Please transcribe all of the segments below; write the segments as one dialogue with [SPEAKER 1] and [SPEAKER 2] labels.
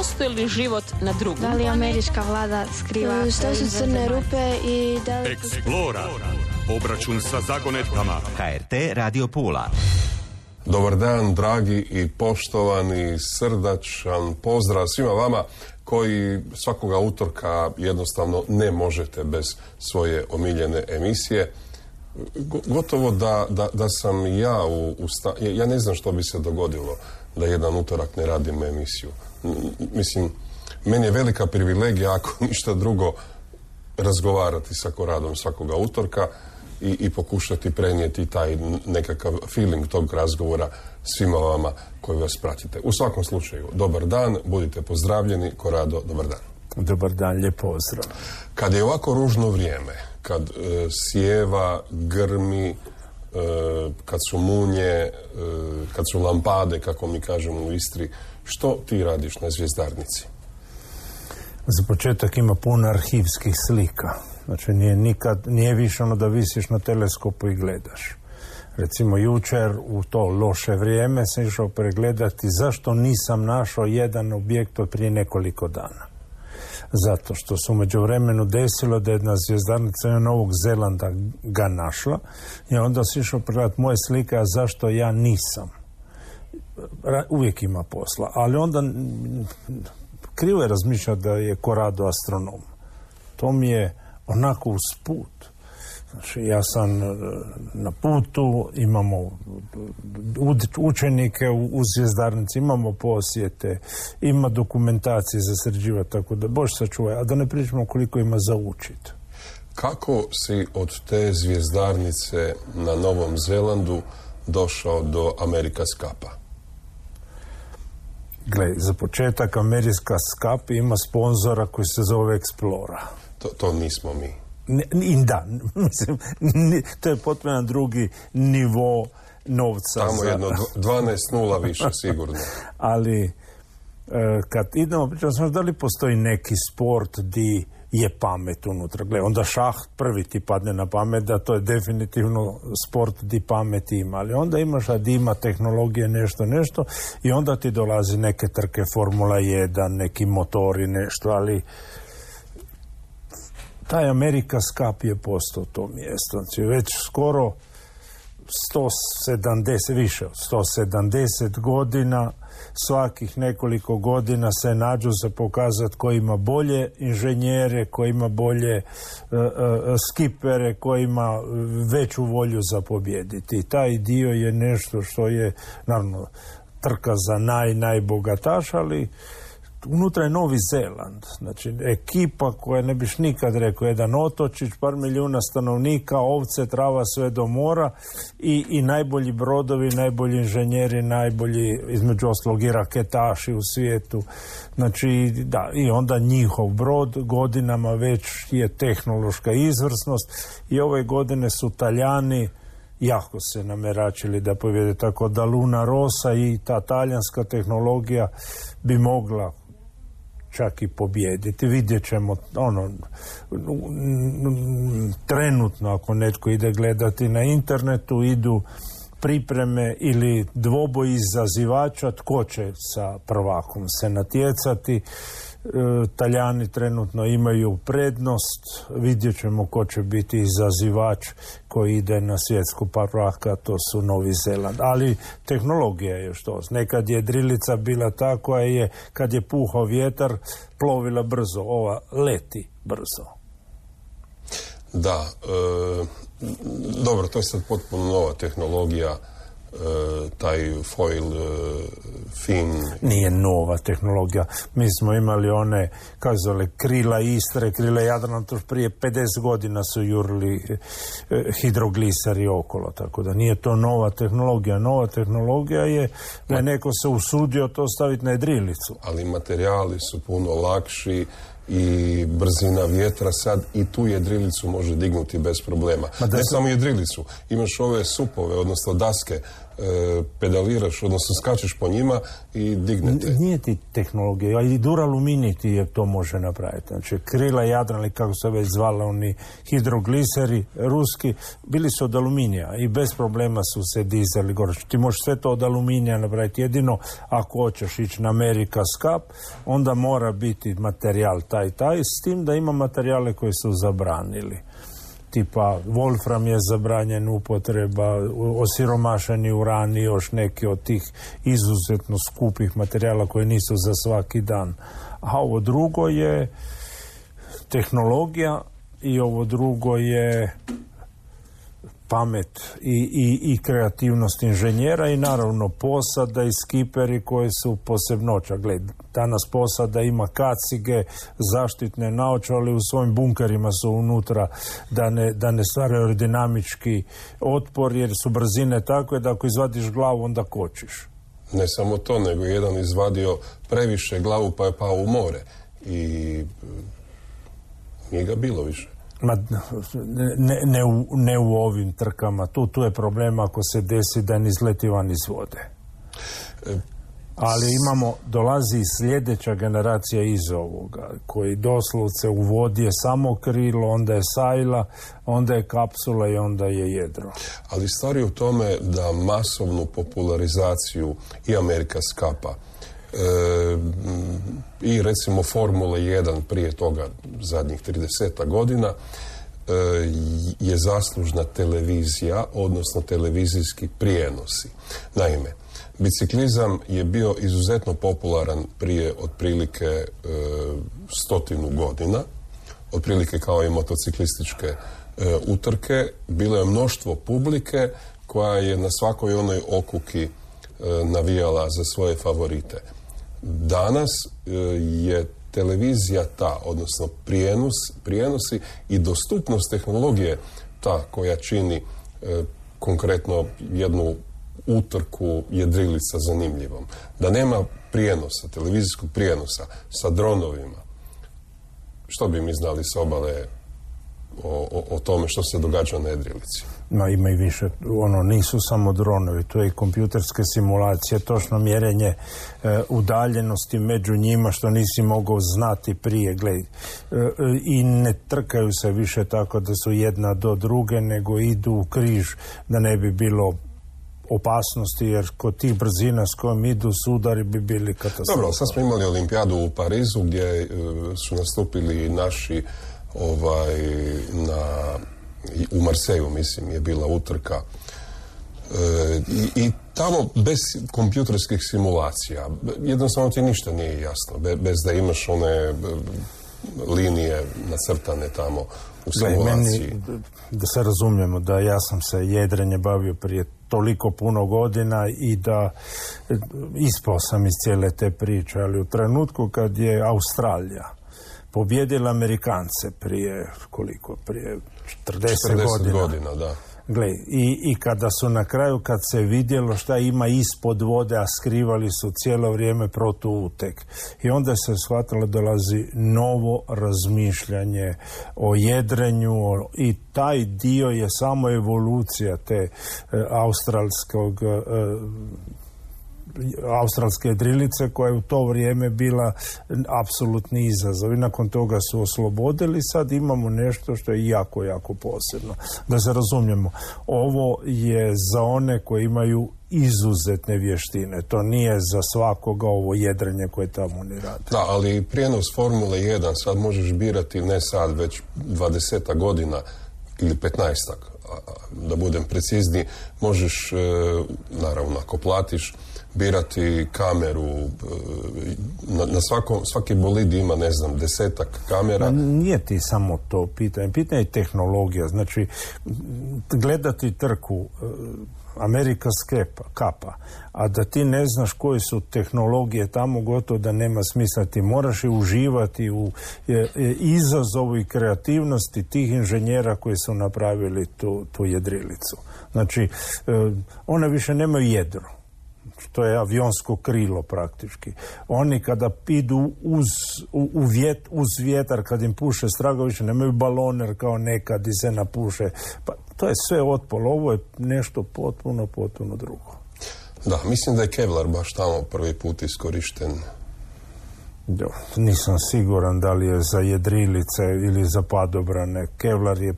[SPEAKER 1] postoji li život na drugom?
[SPEAKER 2] Da li američka vlada skriva
[SPEAKER 3] što su crne rupe i da li...
[SPEAKER 4] Explora. Obračun sa zagonetkama.
[SPEAKER 5] HRT Radio Pula.
[SPEAKER 6] Dobar dan, dragi i poštovani, srdačan pozdrav svima vama koji svakoga utorka jednostavno ne možete bez svoje omiljene emisije. Gotovo da sam ja ja ne znam što bi se dogodilo da jedan utorak ne radim emisiju. Mislim, meni je velika privilegija, ako ništa drugo, razgovarati sa Koradom svakoga utorka i pokušati prenijeti taj nekakav feeling tog razgovora svima vama koji vas pratite. U svakom slučaju, dobar dan, budite pozdravljeni. Korado, dobar dan.
[SPEAKER 7] Dobar dan, lijep pozdrav.
[SPEAKER 6] Kad je ovako ružno vrijeme, kad sjeva, grmi, kad su munje, kad su lampade, kako mi kažemo u Istri, što ti radiš na Zvjezdarnici?
[SPEAKER 7] Za početak ima puno arhivskih slika. Znači nije više ono da visiš na teleskopu i gledaš. Recimo jučer u to loše vrijeme sam išao pregledati zašto nisam našao jedan objekt od prije nekoliko dana. Zato što su međuvremenu desilo da jedna zvjezdarnica Novog Zelanda ga našla i onda sam išao pregledati moje slike, a zašto ja nisam. Uvijek ima posla, ali onda krivo je razmišljati da je Korado astronom. To mi je onako usput. Znači, ja sam na putu, imamo učenike u Zvjezdarnici, imamo posjete, ima dokumentacije za sređivati, tako da Bož sačuvaj, a da ne pričamo koliko ima za učiti.
[SPEAKER 6] Kako si od te Zvjezdarnice na Novom Zelandu došao do America's Cupa?
[SPEAKER 7] Gle, za početak America's Cup ima sponzora koji se zove Explora.
[SPEAKER 6] To nismo mi.
[SPEAKER 7] Da, mislim, to je potpuno drugi nivo novca.
[SPEAKER 6] Tamo jedno 12-0 više, sigurno.
[SPEAKER 7] Ali, kad idemo, pričam sam da li postoji neki sport di je pamet unutra. Gle, onda šah prvi ti padne na pamet, da to je definitivno sport di pamet ima. Ali onda imaš da ima tehnologije nešto i onda ti dolazi neke trke Formula 1, neki motori, nešto, ali taj America's Cup je postao to mjesto. Znači, već skoro više od 170 godina, svakih nekoliko godina se nađu za pokazati ko ima bolje inženjere, ko ima bolje skipere, ko ima veću volju za pobjediti. I taj dio je nešto što je, naravno, trka za najbogataš, ali unutra je Novi Zeland, znači ekipa koja ne biš nikad rekao, jedan otočić, par milijuna stanovnika, ovce, trava, sve do mora i najbolji brodovi, najbolji inženjeri, najbolji, između ostalog i raketaši u svijetu. Znači, da, i onda njihov brod godinama već je tehnološka izvrsnost i ove godine su Talijani jako se nameračili da pobjede, tako da Luna Rossa i ta talijanska tehnologija bi mogla čak i pobijediti. Vidjet ćemo trenutno, ako netko ide gledati na internetu, idu pripreme ili dvoboji izazivača tko će sa prvakom se natjecati. Talijani trenutno imaju prednost, vidjet ćemo ko će biti izazivač koji ide na svjetsku prvaka, to su Novi Zeland. Ali tehnologija je što. Nekad je drilica bila ta koja je, kad je puhao vjetar, plovila brzo, ova leti brzo.
[SPEAKER 6] Da, dobro, to je sad potpuno nova tehnologija, taj foil fin.
[SPEAKER 7] Nije nova tehnologija. Mi smo imali one, kako zove, krila Istre, krila Jadrana, to prije 50 godina su jurili hidroglisari okolo, tako da nije to nova tehnologija. Nova tehnologija je da neko se usudio to staviti na jedrilicu.
[SPEAKER 6] Ali materijali su puno lakši i brzina vjetra sad i tu jedrilicu može dignuti bez problema. Ne samo jedrilicu, imaš ove supove, odnosno daske pedaliraš, odnosno skačeš po njima i dignete.
[SPEAKER 7] Nije ti tehnologija, i duraluminij ti je to može napraviti. Znači, krila Jadran, ili kako se već zvala, oni hidrogliseri ruski, bili su od aluminija i bez problema su se dizali gore. Ti možeš sve to od aluminija napraviti, jedino ako hoćeš ići na America Cup, onda mora biti materijal taj, s tim da ima materijale koji su zabranili. Tipa Wolfram je zabranjen upotreba, osiromašeni uran i još neki od tih izuzetno skupih materijala koji nisu za svaki dan. A ovo drugo je tehnologija i ovo drugo je pamet i kreativnost inženjera i naravno posada i skiperi koji su posebnoća. Gled, danas posada ima kacige, zaštitne naočale, u svojim bunkerima su unutra da ne stvaraju aerodinamički otpor, jer su brzine takve da ako izvadiš glavu onda kočiš.
[SPEAKER 6] Ne samo to, nego jedan izvadio previše glavu pa je pao u more i nije ga bilo više.
[SPEAKER 7] Ne u ovim trkama. Tu je problem ako se desi da ne izleti van iz vode. Ali dolazi sljedeća generacija iz ovoga, koji doslovce u vodi je samo krilo, onda je sajla, onda je kapsula i onda je jedro.
[SPEAKER 6] Ali stvar je u tome da masovnu popularizaciju i America's Cupa i recimo Formule 1 prije toga zadnjih 30 godina je zaslužna televizija, odnosno televizijski prijenosi. Naime, biciklizam je bio izuzetno popularan prije otprilike 100 godina, otprilike kao i motociklističke utrke. Bilo je mnoštvo publike koja je na svakoj onoj okuki navijala za svoje favorite. Danas je televizija ta, odnosno prijenosi i dostupnost tehnologije ta koja čini konkretno jednu utrku jedrilica zanimljivom. Da nema prijenosa, televizijskog prijenosa sa dronovima, što bi mi znali s obale o tome što se događa na jedrilici?
[SPEAKER 7] Ima i više, nisu samo dronovi, to je i kompjuterske simulacije, točno mjerenje udaljenosti među njima što nisi mogao znati prije, i ne trkaju se više tako da su jedna do druge, nego idu u križ da ne bi bilo opasnosti, jer kod tih brzina s kojom idu sudari bi bili katastrofa.
[SPEAKER 6] Dobro, sad smo imali olimpijadu u Parizu gdje su nastupili naši u Marseju, mislim, je bila utrka i tamo bez kompjuterskih simulacija jednostavno ti ništa nije jasno, bez da imaš one linije nacrtane tamo u simulaciji.
[SPEAKER 7] Da se razumijemo, da ja sam se jedrenje bavio prije toliko puno godina i da ispao sam iz cijele te priče, ali u trenutku kad je Australija pobjedila Amerikance prije 40
[SPEAKER 6] godina, da.
[SPEAKER 7] Gle, i kada su na kraju, kad se vidjelo šta ima ispod vode, a skrivali su cijelo vrijeme protuutek. I onda se shvatilo da dolazi novo razmišljanje o jedrenju i taj dio je samo evolucija te australske jedrilice koja je u to vrijeme bila apsolutni izazov i nakon toga su oslobodili. Sad imamo nešto što je jako, jako posebno. Da se razumijemo, ovo je za one koji imaju izuzetne vještine. To nije za svakoga ovo jedrenje koje tamo ni radi.
[SPEAKER 6] Da, ali prijenos Formule 1 sad možeš birati ne sad, već 20 godina ili 15, da budem precizniji, možeš, naravno ako platiš, birati kameru, na svaki bolid ima, 10 kamera.
[SPEAKER 7] Nije ti samo to pitanje je tehnologija. Znači, gledati trku America's Cupa, a da ti ne znaš koje su tehnologije tamo, gotovo da nema smisla. Ti moraš i uživati u izazovu i kreativnosti tih inženjera koji su napravili tu jedrilicu. Znači, one više nemaju jedro. to je avionsko krilo praktički. Oni kada idu uz vjetar, kad im puše strago, više nemaju baloner kao nekad i se napuše. Pa to je sve otpol, ovo je nešto potpuno drugo.
[SPEAKER 6] Da, mislim da je Kevlar baš tamo prvi put iskorišten.
[SPEAKER 7] Nisam siguran da li je za jedrilice ili za padobrane. Kevlar je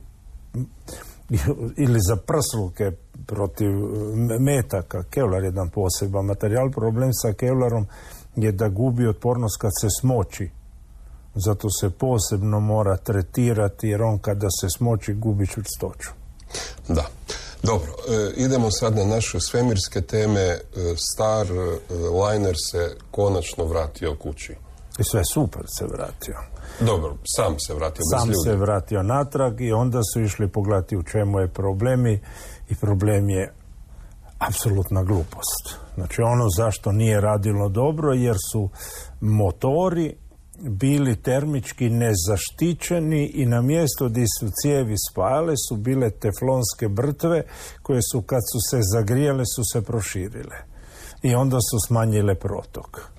[SPEAKER 7] ili za prsluke protiv metaka. Kevlar je jedan poseban materijal. Problem sa Kevlarom je da gubi otpornost kad se smoči. Zato se posebno mora tretirati, jer on kada se smoči gubi čvrstoću.
[SPEAKER 6] Da. Dobro, idemo sad na naše svemirske teme. Star liner se konačno vratio kući.
[SPEAKER 7] I sve super se vratio.
[SPEAKER 6] Dobro, sam se vratio bez
[SPEAKER 7] ljudi. Sam se vratio natrag i onda su išli pogledati u čemu je problemi i problem je apsolutna glupost. Znači ono zašto nije radilo dobro jer su motori bili termički nezaštićeni i na mjesto gdje su cijevi spajale su bile teflonske brtve koje su kad su se zagrijale su se proširile i onda su smanjile protok.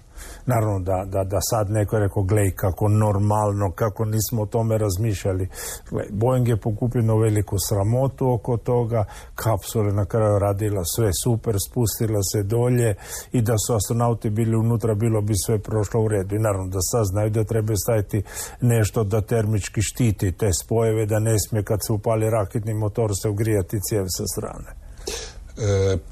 [SPEAKER 7] Naravno da sad neko je rekao, glej kako normalno, kako nismo o tome razmišljali. Glej, Boeing je pokupio veliku sramotu oko toga, kapsula na kraju radila sve super, spustila se dolje i da su astronauti bili unutra, bilo bi sve prošlo u redu. I naravno da sad znaju da treba staviti nešto da termički štiti te spojeve, da ne smije kad se upali raketni motor se ugrijati cijev sa strane.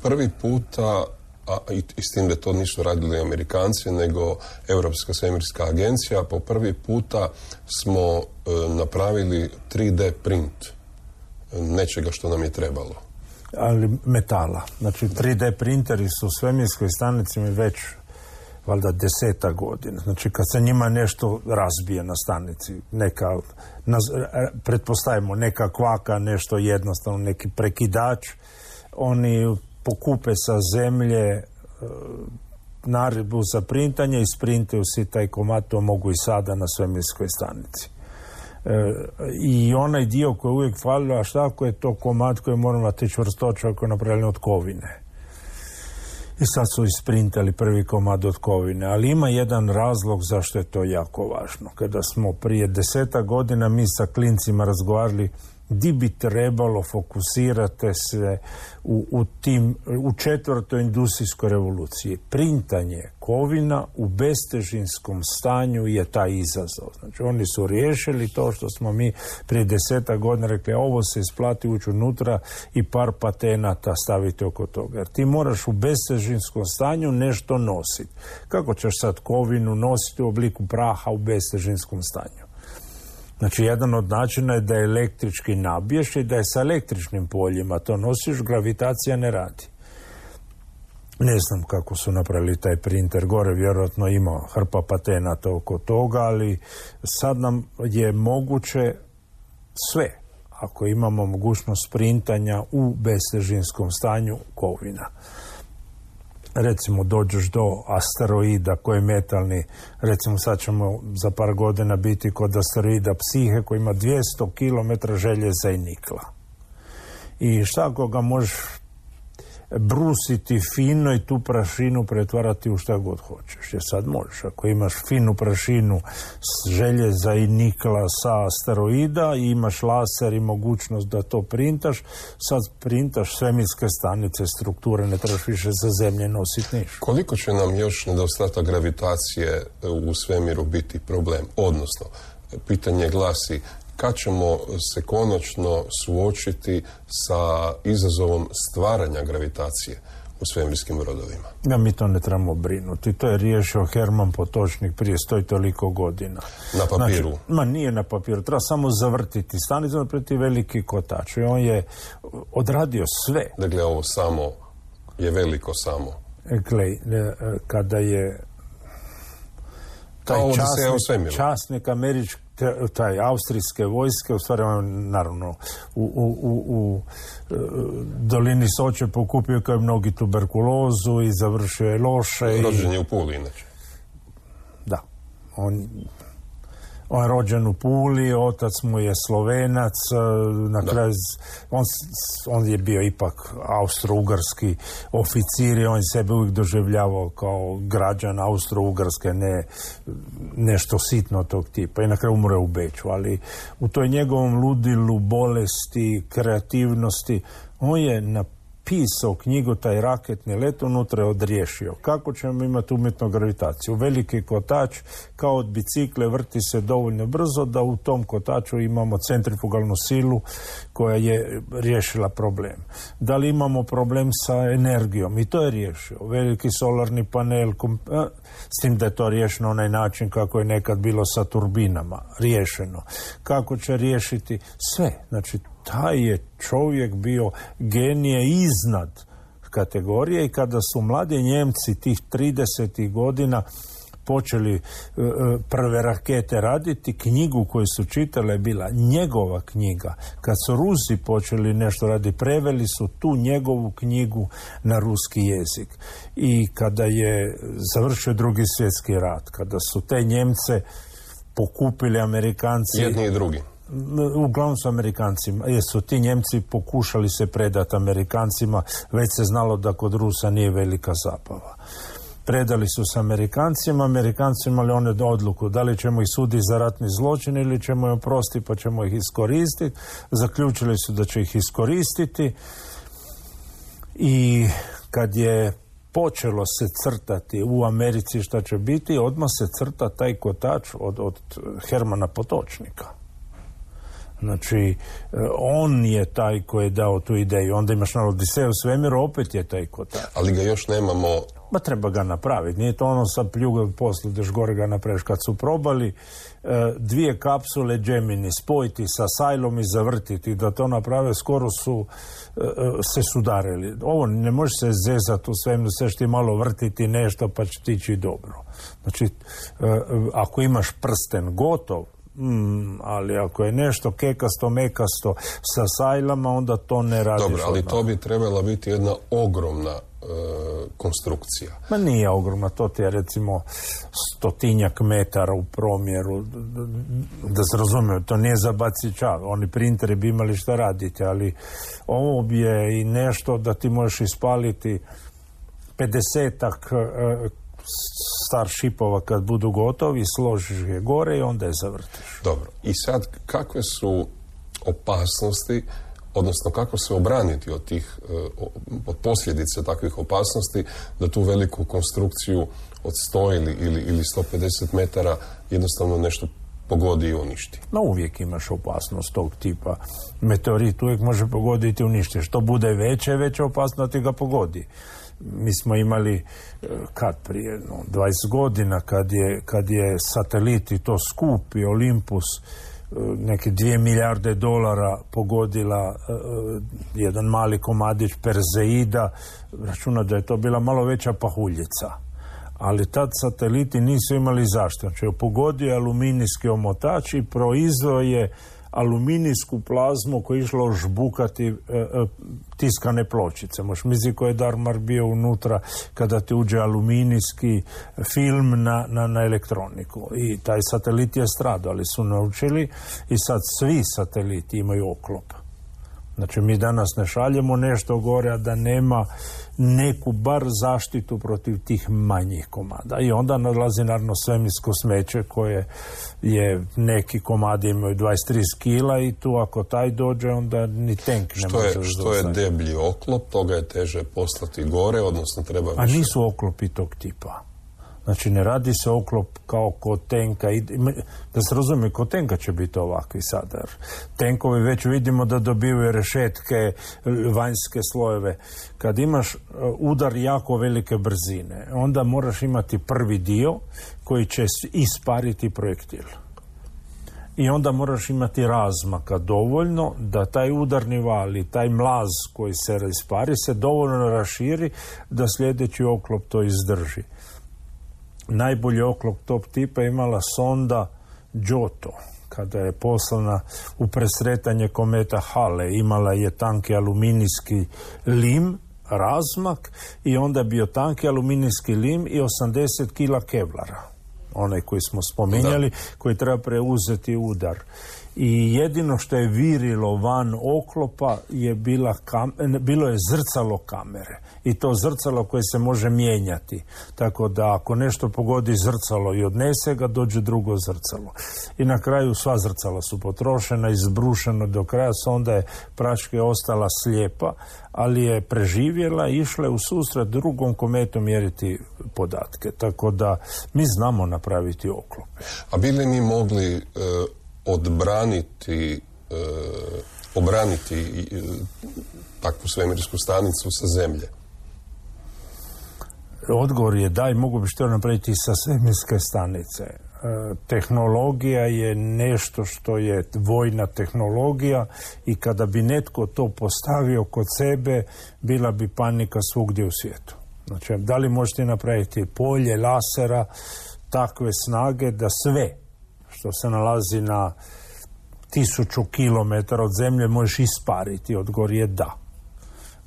[SPEAKER 6] Prvi puta, a i s tim da to nisu radili Amerikanci, nego Europska svemirska agencija, po prvi puta smo napravili 3D print nečega što nam je trebalo.
[SPEAKER 7] Ali metala. Znači 3D printeri su u svemirskoj stanici već valjda 10 godina. Znači kad se njima nešto razbije na stanici, pretpostavimo neka kvaka, nešto jednostavno, neki prekidač, oni pokupe sa zemlje naredbu za printanje i sprintaju si taj komad, to mogu i sada na svemirskoj stanici. I onaj dio koji uvijek falio, a šta ako je to komad koji mora imati čvrstoću ako je napravljen od kovine. I sad su isprintali prvi komad od kovine, ali ima jedan razlog zašto je to jako važno. Kada smo prije 10 godina mi sa klincima razgovarali di bi trebalo fokusirati se u četvrtoj industrijskoj revoluciji. Printanje kovina u bestežinskom stanju je taj izazov. Znači oni su riješili to što smo mi prije 10 godina rekli, ovo se isplati ući unutra i par patenata staviti oko toga. Jer ti moraš u bestežinskom stanju nešto nositi. Kako ćeš sad kovinu nositi u obliku praha u bestežinskom stanju? Znači, jedan od načina je da je električki nabiješ i da je sa električnim poljima to nosiš, gravitacija ne radi. Ne znam kako su napravili taj printer, gore vjerojatno ima hrpa patenata oko toga, ali sad nam je moguće sve, ako imamo mogućnost printanja u bestežinskom stanju kovina. Recimo dođeš do asteroida koji je metalni, recimo sad ćemo za par godina biti kod asteroida Psihe koji ima 200 km željeza i nikla. I šta ako ga možeš brusiti fino i tu prašinu pretvarati u šta god hoćeš. Jer sad možeš, ako imaš finu prašinu željeza i nikla sa asteroida i imaš laser i mogućnost da to printaš, sad printaš svemirske stanice, strukture, ne trebaš više za zemlje nositi niš.
[SPEAKER 6] Koliko će nam još nedostatak gravitacije u svemiru biti problem? Odnosno, pitanje glasi, kad ćemo se konačno suočiti sa izazovom stvaranja gravitacije u svemirskim brodovima?
[SPEAKER 7] Ja, mi to ne trebamo brinuti. To je riješio Herman Potočnik prije 100 i toliko godina.
[SPEAKER 6] Na papiru?
[SPEAKER 7] Znači, nije na papiru. Treba samo zavrtiti stanicu, napraviti veliki kotač. I on je odradio sve.
[SPEAKER 6] Dakle, ovo samo je veliko samo.
[SPEAKER 7] Glej, kada je taj časnik američki, taj austrijske vojske, u stvari on naravno u dolini Soče pokupio kao i mnogi tuberkulozu i završio je loše.
[SPEAKER 6] Rođen je u Puli, inače.
[SPEAKER 7] Da. On je rođen u Puli, otac mu je Slovenac, na kraju on je bio ipak austro-ugarski oficir i on je sebe uvijek doživljavao kao građan Austro-Ugarske, ne nešto sitno tog tipa. I na kraju umre u Beču, ali u toj njegovom ludilu, bolesti, kreativnosti, on je napisao knjigu Taj raketni let, unutra je odriješio. Kako ćemo imati umjetnu gravitaciju? Veliki kotač, kao od bicikle, vrti se dovoljno brzo da u tom kotaču imamo centrifugalnu silu koja je riješila problem. Da li imamo problem sa energijom? I to je riješio. Veliki solarni panel, s tim da je to riješeno onaj način kako je nekad bilo sa turbinama. Riješeno. Kako će riješiti? Sve. Znači, taj je čovjek bio genije iznad kategorije i kada su mladi Njemci tih 30. godina počeli prve rakete raditi, knjigu koju su čitale je bila njegova knjiga. Kad su Rusi počeli nešto raditi, preveli su tu njegovu knjigu na ruski jezik. I kada je završio Drugi svjetski rat, kada su te Njemce pokupili Amerikanci...
[SPEAKER 6] Jedni i drugi.
[SPEAKER 7] Uglavnom su Amerikancima, jer su ti Njemci pokušali se predati Amerikancima, već se znalo da kod Rusa nije velika zabava. Predali su se Amerikancima, Amerikanci imali one odluku da li ćemo ih suditi za ratni zločin ili ćemo ih oprostiti pa ćemo ih iskoristiti. Zaključili su da će ih iskoristiti i kad je počelo se crtati u Americi šta će biti, odmah se crta taj kotač od Hermana Potočnika. Znači, on je taj koji je dao tu ideju. Onda imaš na Odiseju u svemiru, opet je taj kotač.
[SPEAKER 6] Ali ga još nemamo...
[SPEAKER 7] Ma treba ga napraviti. Nije to ono sa pljuga poslu, daš gore ga napraviš. Kad su probali dvije kapsule Gemini spojiti sa sajlom i zavrtiti, da to naprave, skoro su se sudarili. Ovo ne može se zezati u svemiru, sve ti malo vrtiti nešto pa će ti ići dobro. Znači, ako imaš prsten gotov, ali ako je nešto kekasto, mekasto sa sajlama, onda to ne radiš.
[SPEAKER 6] Dobro, ali to bi trebala biti jedna ogromna konstrukcija.
[SPEAKER 7] Ma nije ogromna, to ti je recimo 100 metara u promjeru, da se razumiju, to nije za bacića, oni printeri bi imali šta raditi, ali ovo je i nešto da ti možeš ispaliti 50-ak starshipova kad budu gotovi, složiš je gore i onda je zavrtiš.
[SPEAKER 6] Dobro, i sad kakve su opasnosti, odnosno kako se obraniti od tih od posljedice takvih opasnosti, da tu veliku konstrukciju od 100 ili 150 metara jednostavno nešto pogodi i uništi?
[SPEAKER 7] No, uvijek imaš opasnost tog tipa. Meteorit uvijek može pogoditi i uništi. Što bude veća opasnost ti ga pogodi. Mi smo imali prije 20 godina kad je satelit i to skupi Olympus neke 2 milijarde dolara pogodila jedan mali komadić Perseida, računa da je to bila malo veća pahuljica. Ali tad sateliti nisu imali zašto. Znači, pogodio je aluminijski omotač i proizveo je aluminijsku plazmu koja je išla žbukati tiskane pločice. Možeš misliti koji je darmar bio unutra kada ti uđe aluminijski film na elektroniku. I taj satelit je stradao, ali su naučili i sad svi sateliti imaju oklop. Znači, mi danas ne šaljemo nešto gore, a da nema neku bar zaštitu protiv tih manjih komada. I onda nalazi naravno svemirsko smeće koje je, neki komadi imaju 23 kila i tu ako taj dođe, onda ni tank ne može zauzeti.
[SPEAKER 6] Što je deblji oklop, toga je teže poslati gore, odnosno treba više.
[SPEAKER 7] A nisu oklopi tog tipa. Znači, ne radi se oklop kao kod tenka. Da se razumije, kod tenka će biti ovakvi sada. Tenkovi već vidimo da dobivaju rešetke, vanjske slojeve. Kad imaš udar jako velike brzine, onda moraš imati prvi dio koji će ispariti projektil. I onda moraš imati razmaka dovoljno da taj udarni val i taj mlaz koji se ispari se dovoljno raširi da sljedeći oklop to izdrži. Najbolji oklop tog tipa imala sonda Giotto, kada je poslana u presretanje kometa Hale. Imala je tanki aluminijski lim, razmak, i onda bio tanki aluminijski lim i 80 kila kevlara. onaj koji smo spominjali, koji treba preuzeti udar. I jedino što je virilo van oklopa je bilo je zrcalo kamere. I to zrcalo koje se može mijenjati. Tako da ako nešto pogodi zrcalo i odnese ga, dođe drugo zrcalo. I na kraju sva zrcala su potrošena, izbrušeno do kraja, sonda je praške ostala slijepa, ali je preživjela i išla je u susret drugom kometu mjeriti podatke. Tako da mi znamo napraviti oklope.
[SPEAKER 6] A bi li mi mogli obraniti takvu svemirsku stanicu sa zemlje?
[SPEAKER 7] Odgovor je da, i mogu bi što napraviti sa svemirske stanice. Tehnologija je nešto što je vojna tehnologija i kada bi netko to postavio kod sebe, bila bi panika svugdje u svijetu. Znači, da li možete napraviti polje lasera takve snage da sve što se nalazi na 1000 kilometara od zemlje možeš ispariti? Odgovor je da.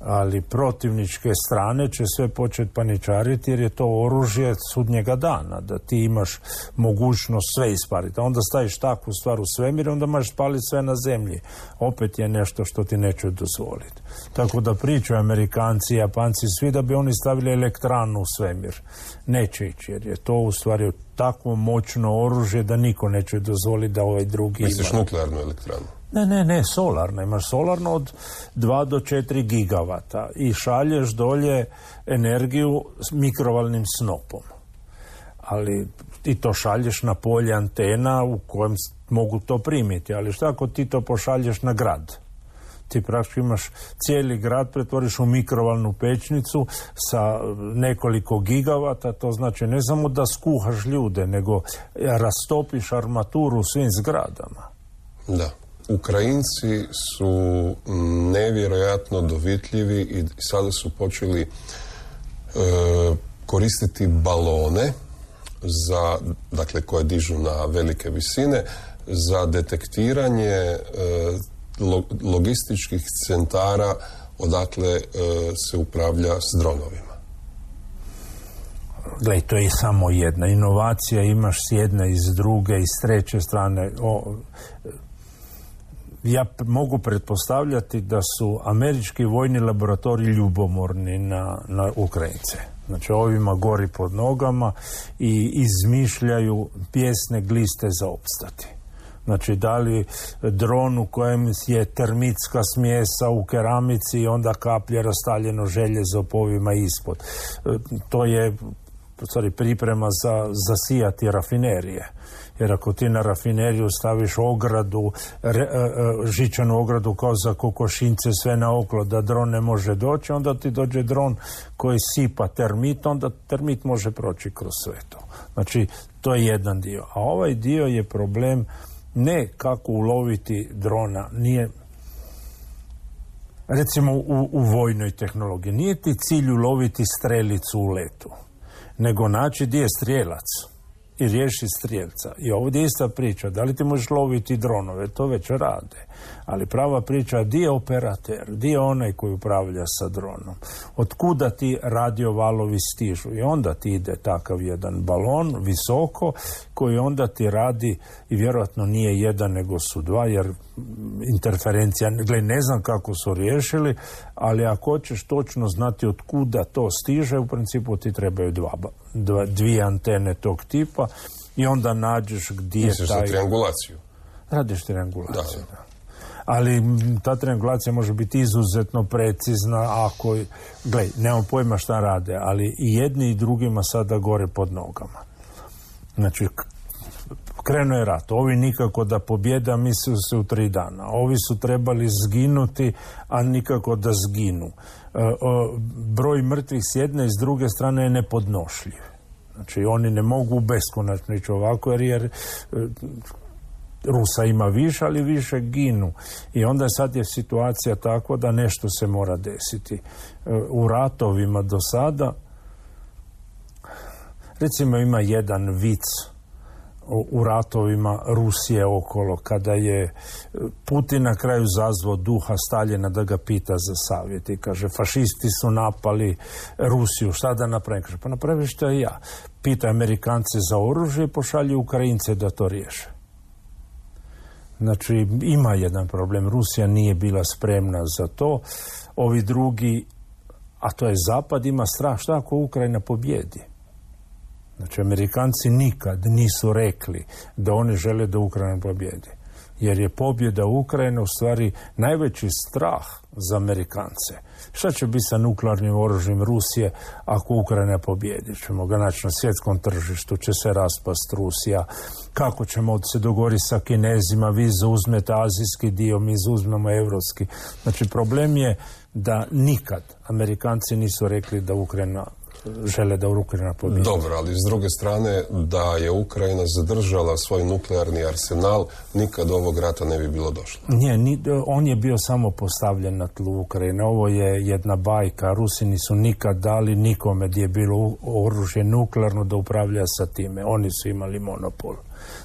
[SPEAKER 7] Ali protivničke strane će sve početi paničariti jer je to oružje sudnjega dana, da ti imaš mogućnost sve ispariti. A onda staviš takvu stvar u svemir, onda možeš spaliti sve na zemlji. Opet je nešto što ti neće dozvoliti. Tako da pričaju Amerikanci i Japanci svi da bi oni stavili elektranu u svemir. Neće ići jer je to u stvari takvo moćno oružje da niko neće dozvoliti da ovaj drugi ima.
[SPEAKER 6] Misliš nuklearnu elektranu?
[SPEAKER 7] Ne, solarno. Imaš solarno od 2 do 4 gigavata i šalješ dolje energiju s mikrovalnim snopom. Ali ti to šalješ na polje antena u kojem mogu to primiti. Ali šta ako ti to pošalješ na grad? Ti praktički imaš cijeli grad, pretvoriš u mikrovalnu pećnicu sa nekoliko gigavata, to znači ne samo da skuhaš ljude, nego rastopiš armaturu u svim zgradama.
[SPEAKER 6] Da. Ukrajinci su nevjerojatno dovitljivi i sada su počeli koristiti balone dakle koje dižu na velike visine za detektiranje logističkih centara odakle se upravlja s dronovima.
[SPEAKER 7] Gle, to je samo jedna inovacija, imaš s jedne i s druge i s treće strane. Ja mogu pretpostavljati da su američki vojni laboratoriji ljubomorni na Ukrajince. Znači ovima gori pod nogama i izmišljaju pjesne gliste za opstati. Znači da li dron u kojem je termitska smjesa u keramici i onda kaplje rastaljeno željezo po ovima ispod. To je priprema za zasijati rafinerije. Jer ako ti na rafineriju staviš ogradu, žičanu ogradu kao za kokošince sve naokolo da dron ne može doći, onda ti dođe dron koji sipa termit, onda termit može proći kroz sve to. Znači, to je jedan dio. A ovaj dio je problem ne kako uloviti drona, nije... Recimo u vojnoj tehnologiji, nije ti cilj uloviti strelicu u letu, nego naći gdje je strijelac i riješi strijelca. I ovdje je ista priča, da li ti možeš loviti dronove, to već rade. Ali prava priča, di je operater, di je onaj koji upravlja sa dronom, otkuda ti radiovalovi stižu. I onda ti ide takav jedan balon visoko koji onda ti radi, i vjerojatno nije jedan nego su dva, jer interferencija, ne znam kako su riješili, ali ako hoćeš točno znati otkuda to stiže, u principu ti trebaju dvije antene tog tipa i onda nađeš gdje je taj...
[SPEAKER 6] Misliš za triangulaciju?
[SPEAKER 7] Radiš triangulaciju, da. Ali ta triangulacija može biti izuzetno precizna ako... nemam pojma šta rade, ali i jedni i drugima sada gore pod nogama. Znači, krenuo je rat. Ovi nikako da pobjede, a mislili se u 3 dana. Ovi su trebali zginuti, a nikako da zginu. Broj mrtvih s jedne i s druge strane je nepodnošljiv. Znači, oni ne mogu beskonačno ići ovako, jer Rusa ima više, ali više ginu. I onda sad je situacija takva da nešto se mora desiti. U ratovima do sada, recimo ima jedan vic u ratovima Rusije okolo, kada je Putin na kraju zazvao duha Staljina da ga pita za savjet i kaže, fašisti su napali Rusiju, šta da napravim? Kaže, pa napravi što i ja. Pita Amerikance za oružje i pošalju Ukrajince da to riješe. Znači, ima jedan problem. Rusija nije bila spremna za to. Ovi drugi, a to je Zapad, ima strah. Šta ako Ukrajina pobjedi? Znači, Amerikanci nikad nisu rekli da oni žele da Ukrajina pobjedi. Jer je pobjeda Ukrajine u stvari najveći strah za Amerikance. Šta će biti sa nuklearnim oružjem Rusije ako Ukrajina pobjedi? Ćemo ga naći na svjetskom tržištu, će se raspast Rusija. Kako ćemo se dogovoriti sa Kinezima? Vi zauzmete azijski dio, mi zauzmemo evropski. Znači, problem je da nikad Amerikanci nisu rekli da Ukrajina žele da Ukrajina pobjedi.
[SPEAKER 6] Dobro, ali s druge strane, da je Ukrajina zadržala svoj nuklearni arsenal, nikad ovog rata ne bi bilo došlo.
[SPEAKER 7] Nije, on je bio samo postavljen na tlu Ukrajine. Ovo je jedna bajka. Rusi nisu nikad dali nikome gdje je bilo oružje nuklearno da upravlja sa time. Oni su imali monopol.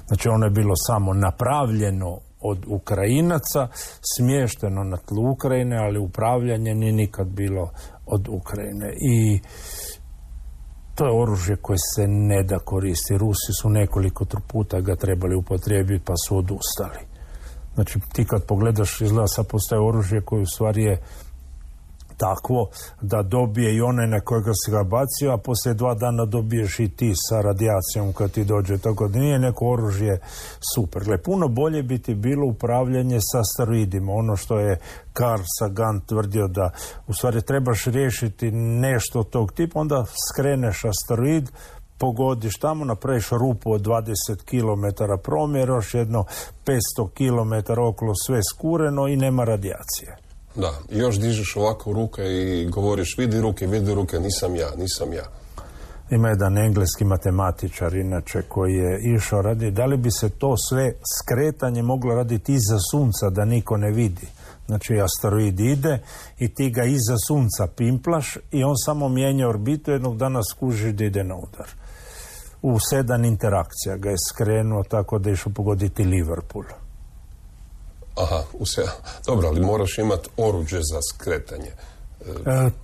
[SPEAKER 7] Znači, ono je bilo samo napravljeno od Ukrajinaca, smješteno na tlu Ukrajine, ali upravljanje nije nikad bilo od Ukrajine. I to je oružje koje se ne da koristi. Rusi su nekoliko puta ga trebali upotrijebiti pa su odustali. Znači, ti kad pogledaš, izgleda sad postaje oružje koje u stvari je takvo da dobije i onaj na kojega se ga bacio, a poslije 2 dana dobiješ i ti sa radijacijom kad ti dođe. Tako da nije neko oružje super. Gle, puno bolje bi ti bilo upravljanje sa asteroidima. Ono što je Carl Sagan tvrdio da u stvari trebaš riješiti nešto tog tipa, onda skreneš asteroid, pogodiš tamo, napraviš rupu od 20 km promjeraš, jedno 500 km okolo sve skureno i nema radijacije.
[SPEAKER 6] Da, i još dižeš ovako ruke i govoriš vidi ruke, nisam ja.
[SPEAKER 7] Ima jedan engleski matematičar inače koji je išao radi, da li bi se to sve skretanje moglo raditi iza sunca da niko ne vidi. Znači, asteroid ide i ti ga iza sunca pimplaš i on samo mijenja orbitu, jednog dana skuži da ide na udar. U 7 interakcija ga je skrenuo tako da je išao pogoditi Liverpool.
[SPEAKER 6] Aha, dobro, ali moraš imati oruđe za skretanje.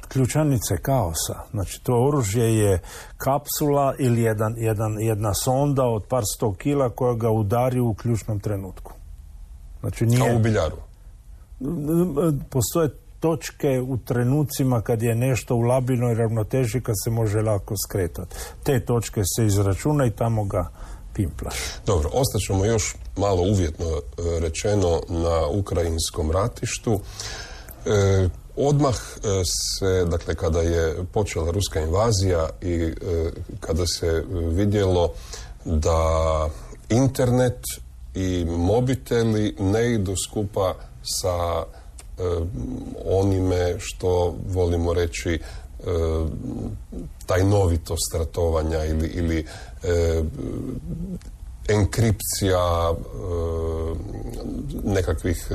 [SPEAKER 7] Ključanice kaosa. Znači, to oružje je kapsula ili jedna sonda od par 100 kila koja ga udari u ključnom trenutku. Znači,
[SPEAKER 6] kao u biljaru?
[SPEAKER 7] Postoje točke u trenucima kad je nešto u labilnoj ravnoteži kad se može lako skretati. Te točke se izračuna i tamo ga pimplaš.
[SPEAKER 6] Dobro, ostaćemo još malo uvjetno rečeno na ukrajinskom ratištu. Odmah se, dakle, kada je počela ruska invazija i kada se vidjelo da internet i mobiteli ne idu skupa sa onime što volimo reći tajnovitost ratovanja ili enkripcija nekakvih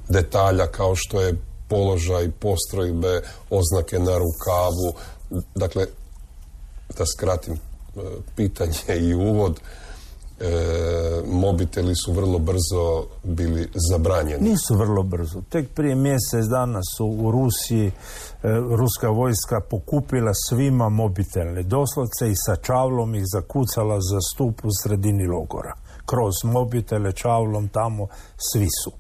[SPEAKER 6] detalja kao što je položaj postrojbe, oznake na rukavu. Dakle, da skratim pitanje i uvod, mobiteli su vrlo brzo bili zabranjeni.
[SPEAKER 7] Nisu vrlo brzo. Tek prije mjesec dana su u Rusiji ruska vojska pokupila svima mobitele. Doslovce i sa čavlom ih zakucala za stup u sredini logora. Kroz mobitele, čavlom tamo, svi su.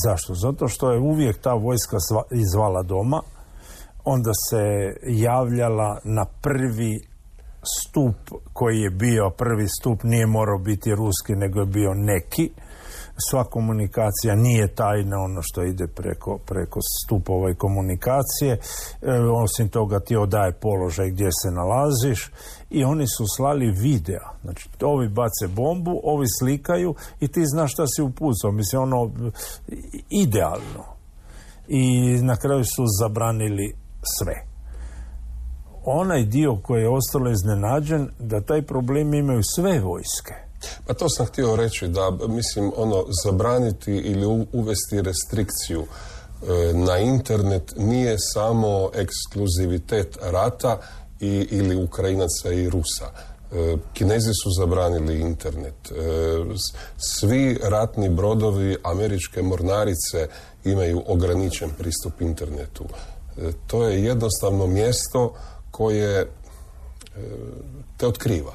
[SPEAKER 7] Zašto? Zato što je uvijek ta vojska izvala doma, onda se javljala na prvi stup koji je bio, prvi stup nije morao biti ruski, nego je bio neki. Sva komunikacija nije tajna, ono što ide preko stupova i komunikacije. Osim toga ti odaje položaj gdje se nalaziš i oni su slali videa. Znači, ovi bace bombu, ovi slikaju i ti znaš šta si upucao. Mislim, ono, idealno. I na kraju su zabranili sve. Onaj dio koji je ostalo iznenađen, da taj problem imaju sve vojske.
[SPEAKER 6] Pa to sam htio reći, da mislim, zabraniti ili uvesti restrikciju na internet nije samo ekskluzivitet rata ili Ukrajinaca i Rusa. Kinezi su zabranili internet. Svi ratni brodovi američke mornarice imaju ograničen pristup internetu. To je jednostavno mjesto koje te otkriva.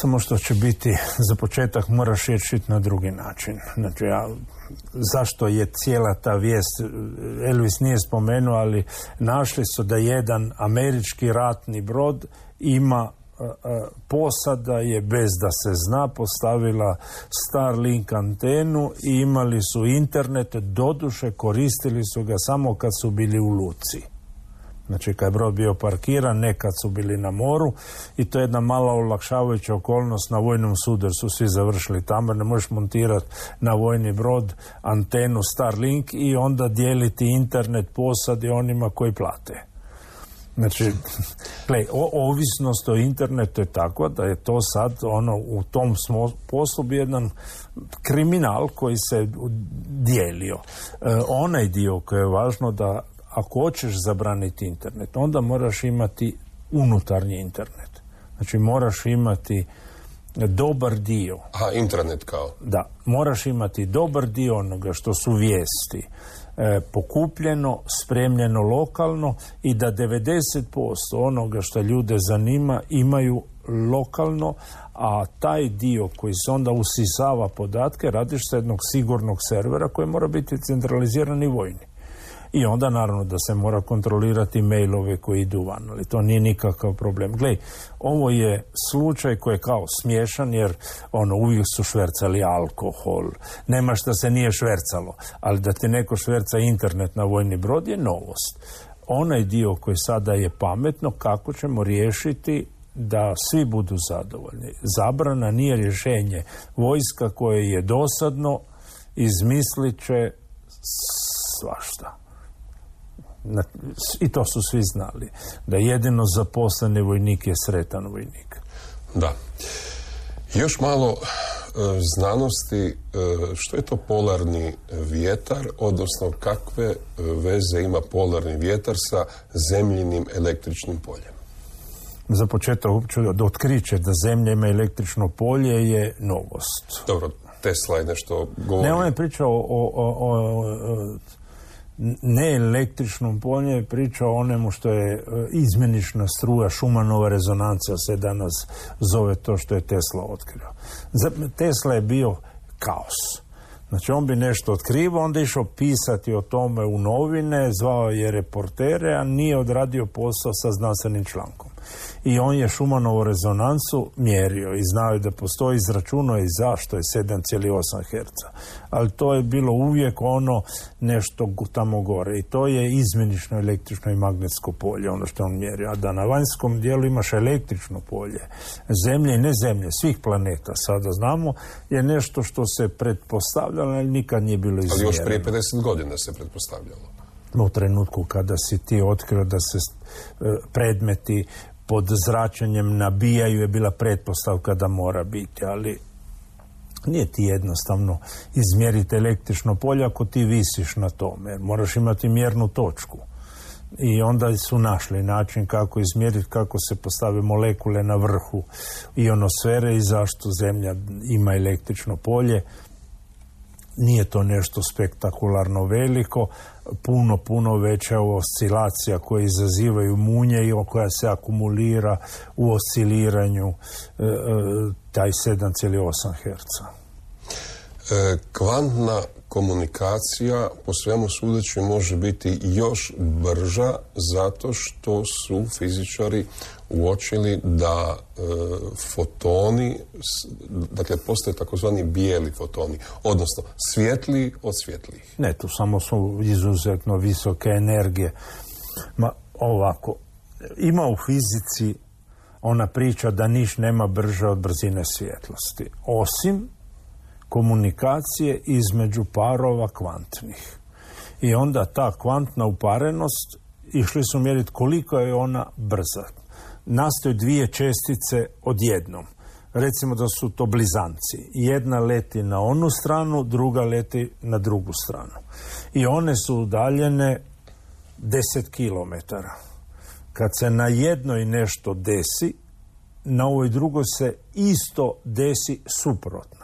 [SPEAKER 7] Samo što će biti, za početak moraš riješiti na drugi način. Znači, zašto je cijela ta vijest, Elvis nije spomenuo, ali našli su da jedan američki ratni brod ima posada je bez da se zna postavila Starlink antenu i imali su internet, doduše koristili su ga samo kad su bili u luci. Znači kad je brod bio parkiran, ne kad su bili na moru, i to je jedna mala olakšavajuća okolnost na vojnom sudu jer su svi završili tamo. Ne možeš montirati na vojni brod antenu Starlink i onda dijeliti internet posadi onima koji plate. Znači, ovisnost o internetu je tako da je to sad u tom poslu bi jedan kriminal koji se dijelio. Onaj dio koji je važno da ako hoćeš zabraniti internet, onda moraš imati unutarnji internet. Znači, moraš imati dobar dio.
[SPEAKER 6] Aha, internet kao?
[SPEAKER 7] Da, moraš imati dobar dio onoga što su vijesti pokupljeno, spremljeno lokalno i da 90% onoga što ljude zanima imaju lokalno, a taj dio koji se onda usisava podatke radiš sa jednog sigurnog servera koji mora biti centralizirani vojni. I onda naravno da se mora kontrolirati mailove koji idu van, ali to nije nikakav problem. Glej, ovo je slučaj koji je kao smiješan jer uvijek su švercali alkohol. Nema šta se nije švercalo, ali da ti neko šverca internet na vojni brod je novost. Onaj dio koji sada je pametno, kako ćemo riješiti da svi budu zadovoljni. Zabrana nije rješenje. Vojska koje je dosadno izmislit će svašta. I to su svi znali. Da jedino zaposleni vojnik je sretan vojnik.
[SPEAKER 6] Da. Još malo znanosti. Što je to polarni vjetar, odnosno kakve veze ima polarni vjetar sa zemljinim električnim poljem?
[SPEAKER 7] Za početak da otkriće da Zemlja ima električno polje je novost.
[SPEAKER 6] Dobro, Tesla je nešto govorio.
[SPEAKER 7] Ne, on je pričao o ne električnom polju, je pričao o onemu što je izmjenična struja, Schumannova rezonancija se danas zove to što je Tesla otkrio. Tesla je bio kaos. Znači on bi nešto otkrivao, onda išao pisati o tome u novine, zvao je reportere, a nije odradio posao sa znanstvenim člankom. I on je Schumannovu rezonancu mjerio i znao je da postoji, izračunao je zašto je 7,8 Hz. Ali to je bilo uvijek nešto tamo gore. I to je izmjenično električno i magnetsko polje, ono što on mjerio. A da na vanjskom dijelu imaš električno polje, Zemlje i ne Zemlje, svih planeta, sada znamo, je nešto što se pretpostavljalo, ali nikad nije bilo izmjereno.
[SPEAKER 6] Ali još prije 50 godina se pretpostavljalo.
[SPEAKER 7] U trenutku kada si ti otkrio da se predmeti pod zračenjem nabijaju je bila pretpostavka da mora biti, ali nije ti jednostavno izmjeriti električno polje ako ti visiš na tome. Moraš imati mjernu točku. I onda su našli način kako izmjeriti, kako se postave molekule na vrhu ionosfere i zašto Zemlja ima električno polje. Nije to nešto spektakularno veliko, puno veća oscilacija koje izazivaju munje i koja se akumulira u osciliranju taj 7,8 Hz.
[SPEAKER 6] Kvantna komunikacija po svemu sudeći može biti još brža zato što su fizičari uočili da fotoni, dakle postoje takozvani bijeli fotoni, odnosno svjetliji od svjetlijih.
[SPEAKER 7] Ne, tu samo su izuzetno visoke energije. Ovako, ima u fizici ona priča da niš nema brže od brzine svjetlosti, osim komunikacije između parova kvantnih. I onda ta kvantna uparenost, išli su mjeriti koliko je ona brza. Nastaju dvije čestice odjednom. Recimo da su to blizanci. Jedna leti na onu stranu, druga leti na drugu stranu. I one su udaljene 10 kilometara. Kad se na jednoj nešto desi, na ovoj drugoj se isto desi suprotno.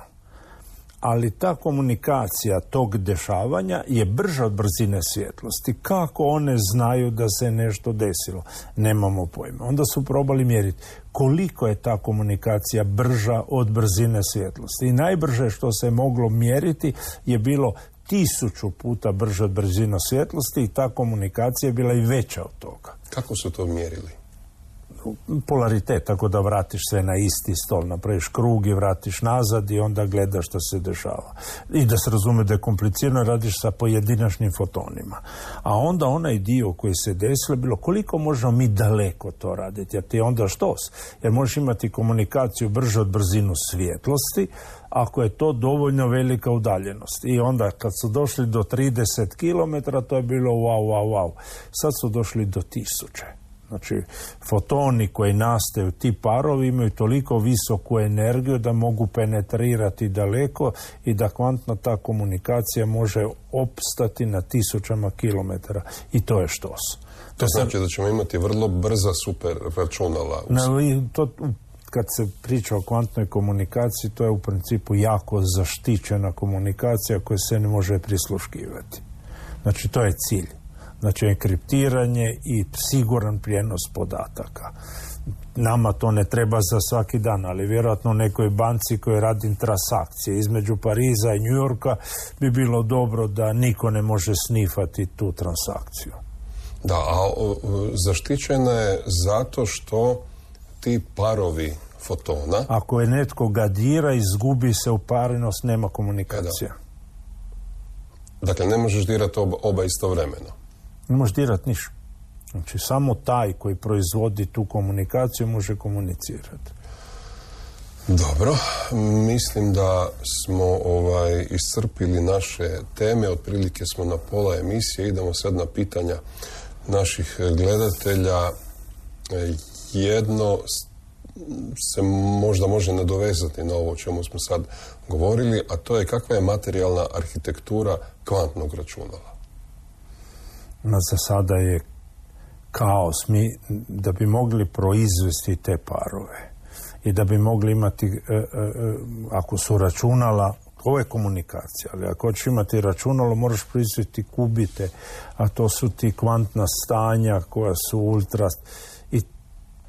[SPEAKER 7] Ali ta komunikacija tog dešavanja je brža od brzine svjetlosti. Kako one znaju da se nešto desilo? Nemamo pojma. Onda su probali mjeriti koliko je ta komunikacija brža od brzine svjetlosti. I najbrže što se moglo mjeriti je bilo 1000 puta brže od brzine svjetlosti i ta komunikacija je bila i veća od toga.
[SPEAKER 6] Kako su to mjerili?
[SPEAKER 7] Polaritet, tako da vratiš sve na isti stol, napraviš krug i vratiš nazad i onda gledaš što se dešava. I da se razume da je komplicirano, radiš sa pojedinačnim fotonima. A onda onaj dio koji se desilo, bilo koliko možemo mi daleko to raditi, jer ti je onda štos. Jer možeš imati komunikaciju brže od brzinu svjetlosti, ako je to dovoljno velika udaljenost. I onda kad su došli do 30 km, to je bilo wow. Sad su došli do 1000. Znači, fotoni koji nastaju, ti parovi imaju toliko visoku energiju da mogu penetrirati daleko i da kvantna ta komunikacija može opstati na 1000 kilometara. I to je štos.
[SPEAKER 6] To znači da ćemo imati vrlo brza super računala.
[SPEAKER 7] Kad se priča o kvantnoj komunikaciji, to je u principu jako zaštićena komunikacija koja se ne može prisluškivati. Znači, to je cilj. Znači, enkriptiranje i siguran prijenos podataka. Nama to ne treba za svaki dan, ali vjerojatno nekoj banci koji radi transakcije između Pariza i New Yorka bi bilo dobro da niko ne može snifati tu transakciju.
[SPEAKER 6] Da, a zaštićena je zato što ti parovi fotona...
[SPEAKER 7] Ako je netko ga dira, izgubi se uparinost, nema komunikacija.
[SPEAKER 6] Dakle, ne možeš dirati oba istovremeno.
[SPEAKER 7] Ne možeš dirati ništa. Znači, samo taj koji proizvodi tu komunikaciju može komunicirati.
[SPEAKER 6] Dobro, mislim da smo iscrpili naše teme, otprilike smo na pola emisije, idemo sad na pitanja naših gledatelja. Jedno se možda može nadovezati na ovo o čemu smo sad govorili, a to je kakva je materijalna arhitektura kvantnog računala.
[SPEAKER 7] Za sada je kaos. Mi, da bi mogli proizvesti te parove i da bi mogli imati, ako su računala, ovo je komunikacija, ali ako hoćeš imati računalo, moraš proizvesti kubite, a to su ti kvantna stanja koja su ultra... I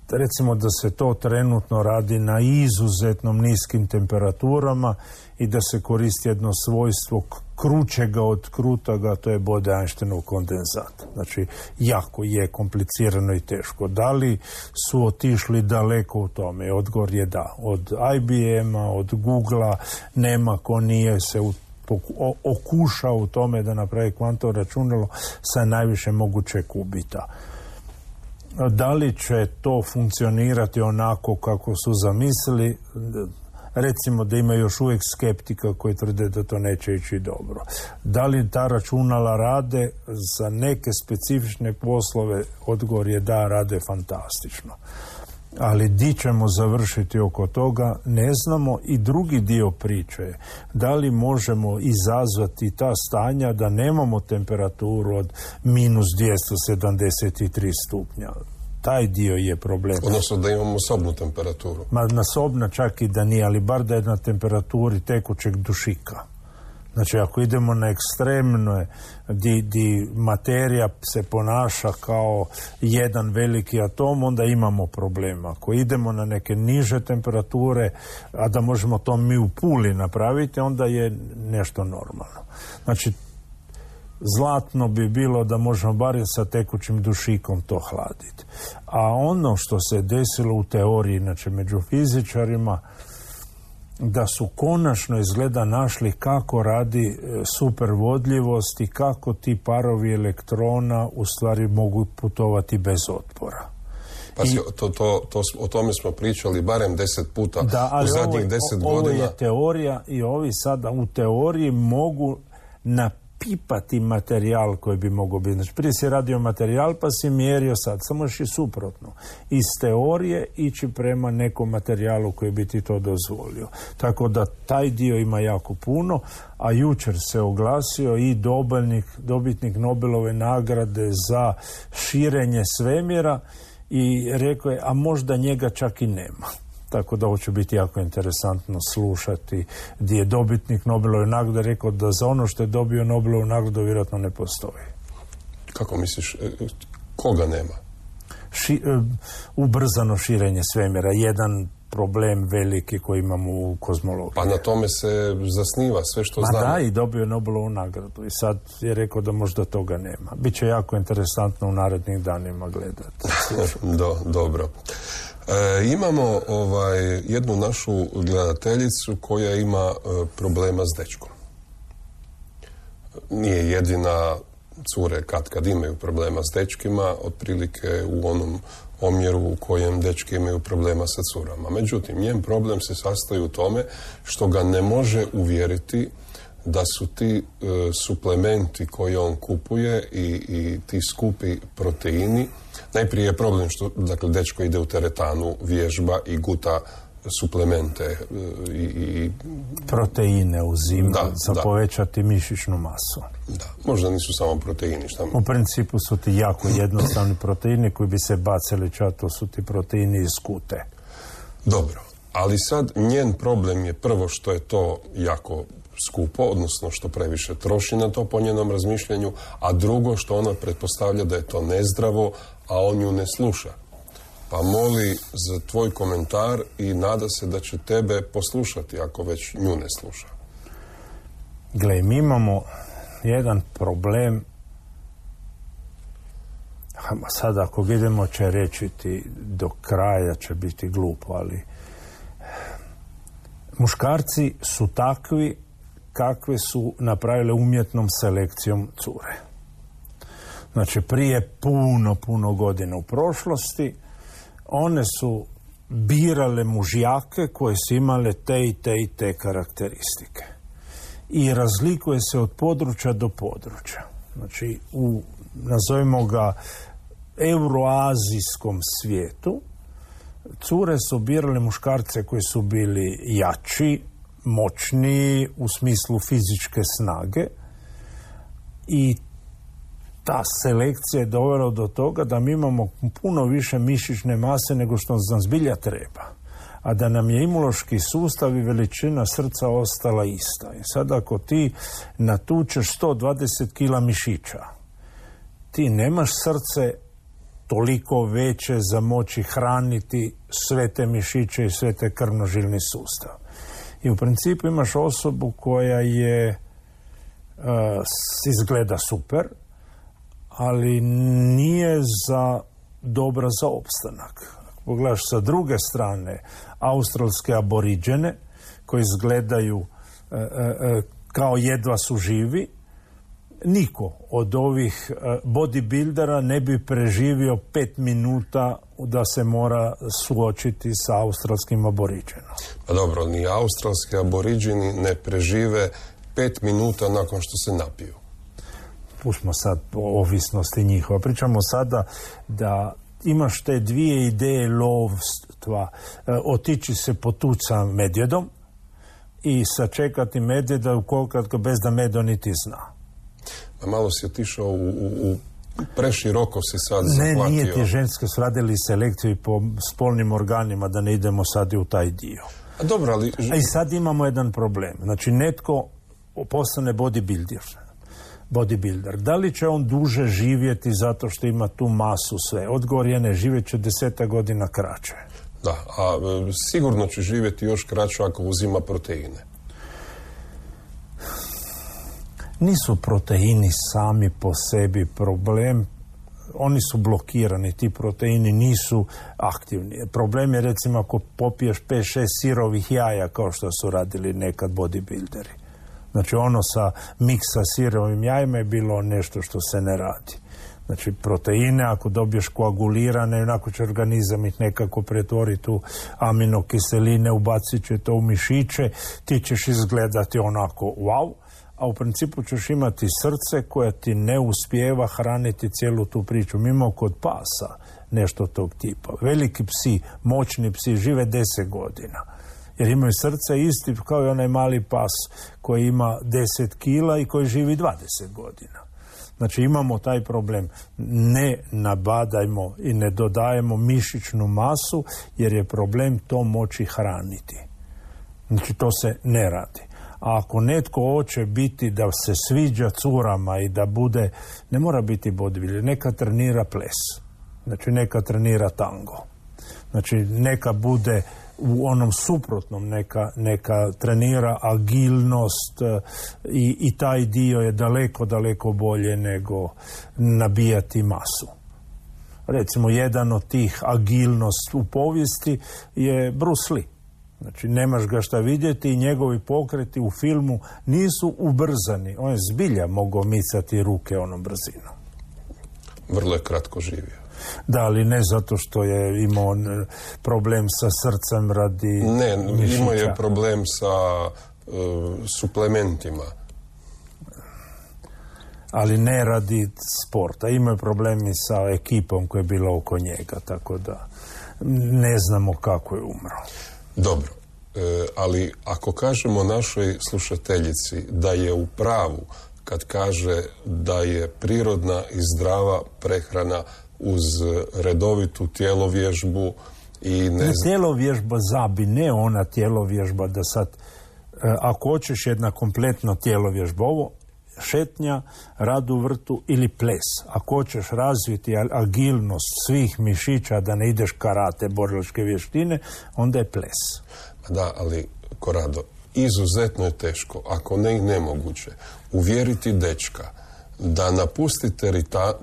[SPEAKER 7] recimo da se to trenutno radi na izuzetnom niskim temperaturama i da se koristi jedno svojstvo krućega od krutaga, to je Bode-Einsteinov kondenzat. Znači, jako je komplicirano i teško. Da li su otišli daleko u tome? Odgovor je da. Od IBM-a, od Google-a, nema ko nije se okušao u tome da napravi kvantno računalo sa najviše moguće kubita. Da li će to funkcionirati onako kako su zamislili? Recimo da ima još uvijek skeptika koji tvrde da to neće ići dobro. Da li ta računala rade za neke specifične poslove? Odgovor je da, rade fantastično. Ali di ćemo završiti oko toga ne znamo. I drugi dio priče je da li možemo izazvati ta stanja da nemamo temperaturu od minus 273 stupnja. Taj dio je problem.
[SPEAKER 6] Odnosno da imamo sobnu temperaturu.
[SPEAKER 7] Na sobna čak i da nije, ali bar da je na temperaturi tekućeg dušika. Znači, ako idemo na ekstremno, di materija se ponaša kao jedan veliki atom, onda imamo problema. Ako idemo na neke niže temperature, a da možemo to mi u Puli napraviti, onda je nešto normalno. Znači, zlatno bi bilo da možemo barem sa tekućim dušikom to hladiti. A ono što se desilo u teoriji, znači među fizičarima, da su konačno izgleda našli kako radi supervodljivost i kako ti parovi elektrona u stvari mogu putovati bez otpora.
[SPEAKER 6] Pa o tome smo pričali barem 10 puta u zadnjih 10 godina.
[SPEAKER 7] Ovo je teorija i ovi sada u teoriji mogu napipati materijal koji bi mogao biti. Znači, prije si radio materijal pa si mjerio, sad samo još i suprotno. Iz teorije ići prema nekom materijalu koji bi ti to dozvolio. Tako da taj dio ima jako puno, a jučer se oglasio i dobitnik Nobelove nagrade za širenje svemira i rekao je, a možda njega čak i nema. Tako da ovo će biti jako interesantno slušati, gdje je dobitnik Nobelove nagrade rekao da za ono što je dobio Nobelovu nagradu vjerojatno ne postoji.
[SPEAKER 6] Kako misliš, koga nema?
[SPEAKER 7] Ubrzano širenje svemira, jedan problem veliki koji imamo u kozmologiji.
[SPEAKER 6] Pa na tome se zasniva sve što znamo.
[SPEAKER 7] Da, i dobio je Nobelovu nagradu i sad je rekao da možda toga nema. Biće jako interesantno u narednih danima gledati.
[SPEAKER 6] Dobro. Imamo jednu našu gledateljicu koja ima problema s dečkom. Nije jedina, cure kad imaju problema s dečkima, otprilike u onom omjeru u kojem dečki imaju problema sa curama. Međutim, njen problem se sastoji u tome što ga ne može uvjeriti da su ti suplementi koje on kupuje i ti skupi proteini. Najprije je problem što, dakle, dečko ide u teretanu, vježba i guta suplemente i
[SPEAKER 7] proteine uzima za povećati mišićnu masu.
[SPEAKER 6] Da, možda nisu samo proteini. Šta?
[SPEAKER 7] U principu su ti jako jednostavni proteini koji bi se bacili, to su ti proteini iz kute.
[SPEAKER 6] Dobro, ali sad njen problem je prvo što je to jako skupo, odnosno što previše troši na to po njenom razmišljanju, a drugo što ona pretpostavlja da je to nezdravo, a on ju ne sluša. Pa moli za tvoj komentar i nada se da će tebe poslušati ako već nju ne sluša.
[SPEAKER 7] Gle, mi imamo jedan problem, sad ako idemo će reći ti do kraja će biti glupo, ali muškarci su takvi kakve su napravile umjetnom selekcijom cure. Znači, prije puno godina u prošlosti one su birale mužjake koje su imale te karakteristike. I razlikuje se od područja do područja. Znači, u, nazovimo ga, euroazijskom svijetu, cure su birale muškarce koji su bili jači, moćniji u smislu fizičke snage i ta selekcija je dovela do toga da mi imamo puno više mišićne mase nego što nam zbilja treba, a da nam je imunološki sustav i veličina srca ostala ista. I sad ako ti natučeš 120 kila mišića, ti nemaš srce toliko veće za moći hraniti sve te mišiće i sve te krvnožilni sustav. I u principu imaš osobu koja je izgleda super, ali nije dobra za opstanak. Pogledaš sa druge strane australske aboriđene koji izgledaju kao jedva su živi, niko od ovih bodybuildera ne bi preživio 5 minuta da se mora suočiti sa australskim aboriđenom.
[SPEAKER 6] Pa dobro, ni australski aboriđeni ne prežive 5 minuta nakon što se napiju.
[SPEAKER 7] Pustimo sad o ovisnosti njihova. Pričamo sada da imaš te dvije ideje lovstva. Otići se potući sa medvjedom i sačekati medvjeda ukoliko bez da medo niti zna.
[SPEAKER 6] A malo si otišao u preširoko si sad zahvatio.
[SPEAKER 7] Ne, nije ti, ženske su radili selekciju po spolnim organima, da ne idemo sad i u taj dio.
[SPEAKER 6] A dobro, ali...
[SPEAKER 7] A i sad imamo jedan problem. Znači, netko postane bodybuilder. Da li će on duže živjeti zato što ima tu masu sve? Odgovor je ne, živjet će 10 godina kraće.
[SPEAKER 6] Da, a sigurno će živjeti još kraće ako uzima proteine.
[SPEAKER 7] Nisu proteini sami po sebi problem, oni su blokirani, ti proteini nisu aktivni. Problem je recimo ako popiješ 5-6 sirovih jaja kao što su radili nekad bodybuilderi. Znači ono sa miksa sirovim jajima je bilo nešto što se ne radi. Znači proteine ako dobiješ koagulirane, onako će organizam ih nekako pretvoriti u aminokiseline, ubacit će to u mišiće, ti ćeš izgledati onako wow, a u principu ćeš imati srce koje ti ne uspijeva hraniti cijelu tu priču. Mi imamo kod pasa nešto tog tipa. Veliki psi, moćni psi žive 10 godina. Jer imaju srce isti kao i onaj mali pas koji ima 10 kila i koji živi 20 godina. Znači imamo taj problem, ne nabadajmo i ne dodajemo mišićnu masu jer je problem to moći hraniti. Znači to se ne radi. A ako netko hoće biti da se sviđa curama i da bude, ne mora biti bodybuilder, neka trenira ples. Znači neka trenira tango. Znači neka bude u onom suprotnom, neka trenira agilnost i taj dio je daleko bolje nego nabijati masu. Recimo jedan od tih agilnost u povijesti je Bruce Lee. Znači nemaš ga šta vidjeti i njegovi pokreti u filmu nisu ubrzani. On je zbilja mogao micati ruke onom brzinom.
[SPEAKER 6] Vrlo je kratko živio.
[SPEAKER 7] Da, ali ne zato što je imao problem sa srcem radi mišića.
[SPEAKER 6] Imao je problem sa suplementima. Ali
[SPEAKER 7] ne radi sporta. Imao je problemi sa ekipom koja je bila oko njega, tako da ne znamo kako je umro.
[SPEAKER 6] Dobro, ali ako kažemo našoj slušateljici da je u pravu kad kaže da je prirodna i zdrava prehrana uz redovitu tjelovježbu i
[SPEAKER 7] tjelovježba ne ona tjelovježba da sad ako hoćeš jedna kompletno tjelovježba, ovo šetnja, rad u vrtu ili ples. Ako hoćeš razviti agilnost svih mišića da ne ideš karate, borilačke vještine, onda je ples.
[SPEAKER 6] Da, ali Korado, izuzetno je teško, ako ne i nemoguće, uvjeriti dečka da napusti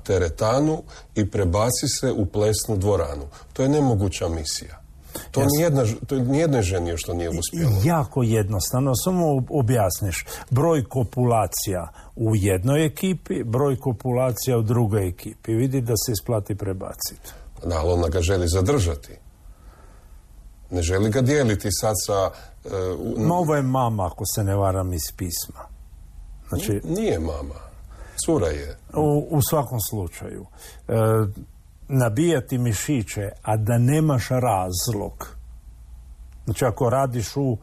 [SPEAKER 6] teretanu i prebaci se u plesnu dvoranu. To je nemoguća misija. To nijednoj ženi još to nije uspjelo.
[SPEAKER 7] Jako jednostavno, samo objasniš. Broj kopulacija u jednoj ekipi, broj kopulacija u drugoj ekipi. Vidi da se isplati prebaciti.
[SPEAKER 6] Da, ali ona ga želi zadržati. Ne želi ga dijeliti sad sa...
[SPEAKER 7] Ovo je mama, ako se ne varam, iz pisma. Znači,
[SPEAKER 6] nije mama. Cura je.
[SPEAKER 7] U svakom slučaju. Nabijati mišiće, a da nemaš razlog. Znači, ako radiš u...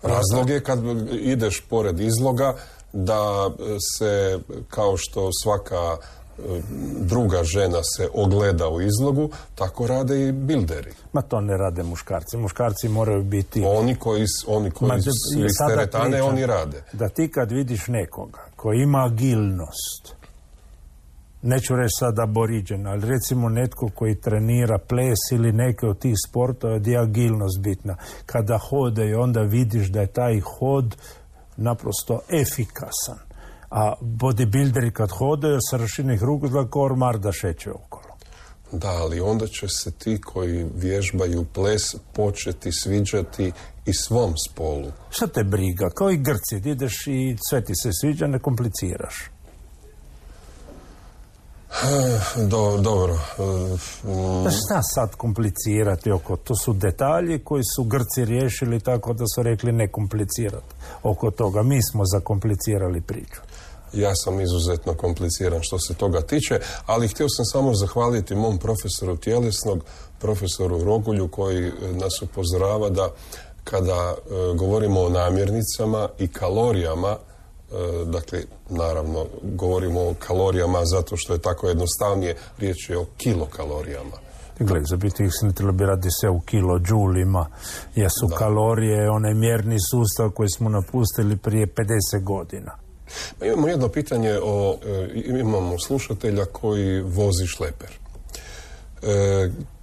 [SPEAKER 6] Razlog je kad ideš pored izloga da se, kao što svaka druga žena se ogleda u izlogu, tako rade i bilderi.
[SPEAKER 7] Ma to ne rade muškarci. Muškarci moraju biti...
[SPEAKER 6] Oni koji su iz teretane, oni rade.
[SPEAKER 7] Da ti kad vidiš nekoga koji ima agilnost, neću reći sad aboriđen, ali recimo netko koji trenira ples ili neke od tih sportova gdje je agilnost bitna. Kada hodaju, onda vidiš da je taj hod naprosto efikasan. A bodybuilderi kad hodaju sa raširenih ruku kao ormar da šeće okolo.
[SPEAKER 6] Da, ali onda će se ti koji vježbaju ples početi sviđati i svom spolu.
[SPEAKER 7] Šta te briga? Kao i Grci, ideš i sve ti se sviđa, ne kompliciraš.
[SPEAKER 6] Dobro.
[SPEAKER 7] Šta sad komplicirati oko? To su detalji koji su Grci riješili tako da su rekli ne komplicirati oko toga. Mi smo zakomplicirali priču.
[SPEAKER 6] Ja sam izuzetno kompliciran što se toga tiče, ali htio sam samo zahvaliti mom profesoru tjelesnog, profesoru Rogulju, koji nas upozorava da kada govorimo o namirnicama i kalorijama, dakle, naravno, govorimo o kalorijama zato što je tako jednostavnije, riječ je o kilokalorijama.
[SPEAKER 7] Gle, za biti bi radi se u kilođulima, jer su kalorije onaj mjerni sustav koji smo napustili prije 50 godina.
[SPEAKER 6] Imamo jedno pitanje imamo slušatelja koji vozi šleper.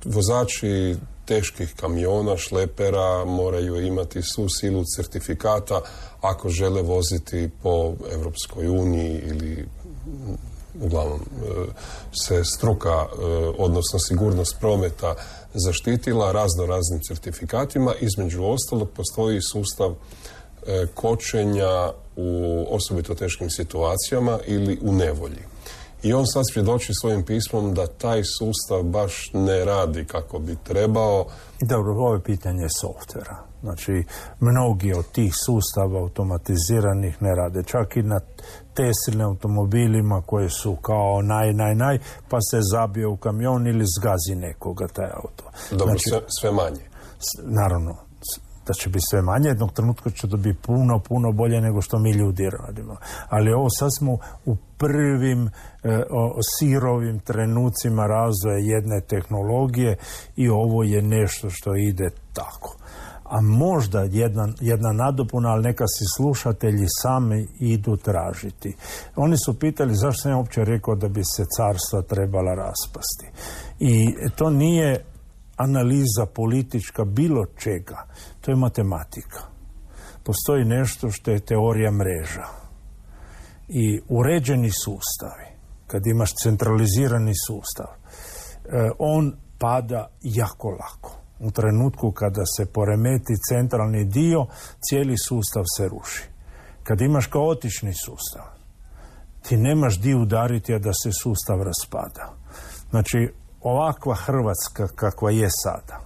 [SPEAKER 6] Vozači teških kamiona, šlepera moraju imati svu silu certifikata ako žele voziti po Europskoj uniji ili uglavnom se struka, odnosno sigurnost prometa zaštitila raznim certifikatima. Između ostalog postoji sustav kočenja u osobito teškim situacijama ili u nevolji. I on sad svjedoči svojim pismom da taj sustav baš ne radi kako bi trebao.
[SPEAKER 7] Dobro, ovo je pitanje softvera. Znači, mnogi od tih sustava automatiziranih ne rade. Čak i na Tesline automobilima koje su kao naj, pa se zabije u kamion ili zgazi nekoga taj auto.
[SPEAKER 6] Dobro, znači, sve manje.
[SPEAKER 7] Naravno, da će biti sve manje, jednog trenutka će to biti puno bolje nego što mi ljudi radimo. Ali ovo sad smo u prvim sirovim trenucima razvoja jedne tehnologije i ovo je nešto što ide tako. A možda jedna nadopuna, ali neka si slušatelji sami idu tražiti. Oni su pitali zašto sam ja uopće rekao da bi se carstva trebala raspasti. I to nije analiza politička bilo čega. To je matematika. Postoji nešto što je teorija mreža. I uređeni sustavi, kad imaš centralizirani sustav, on pada jako lako. U trenutku kada se poremeti centralni dio, cijeli sustav se ruši. Kad imaš kaotični sustav, ti nemaš di udariti, a da se sustav raspada. Znači, ovakva Hrvatska kakva je sada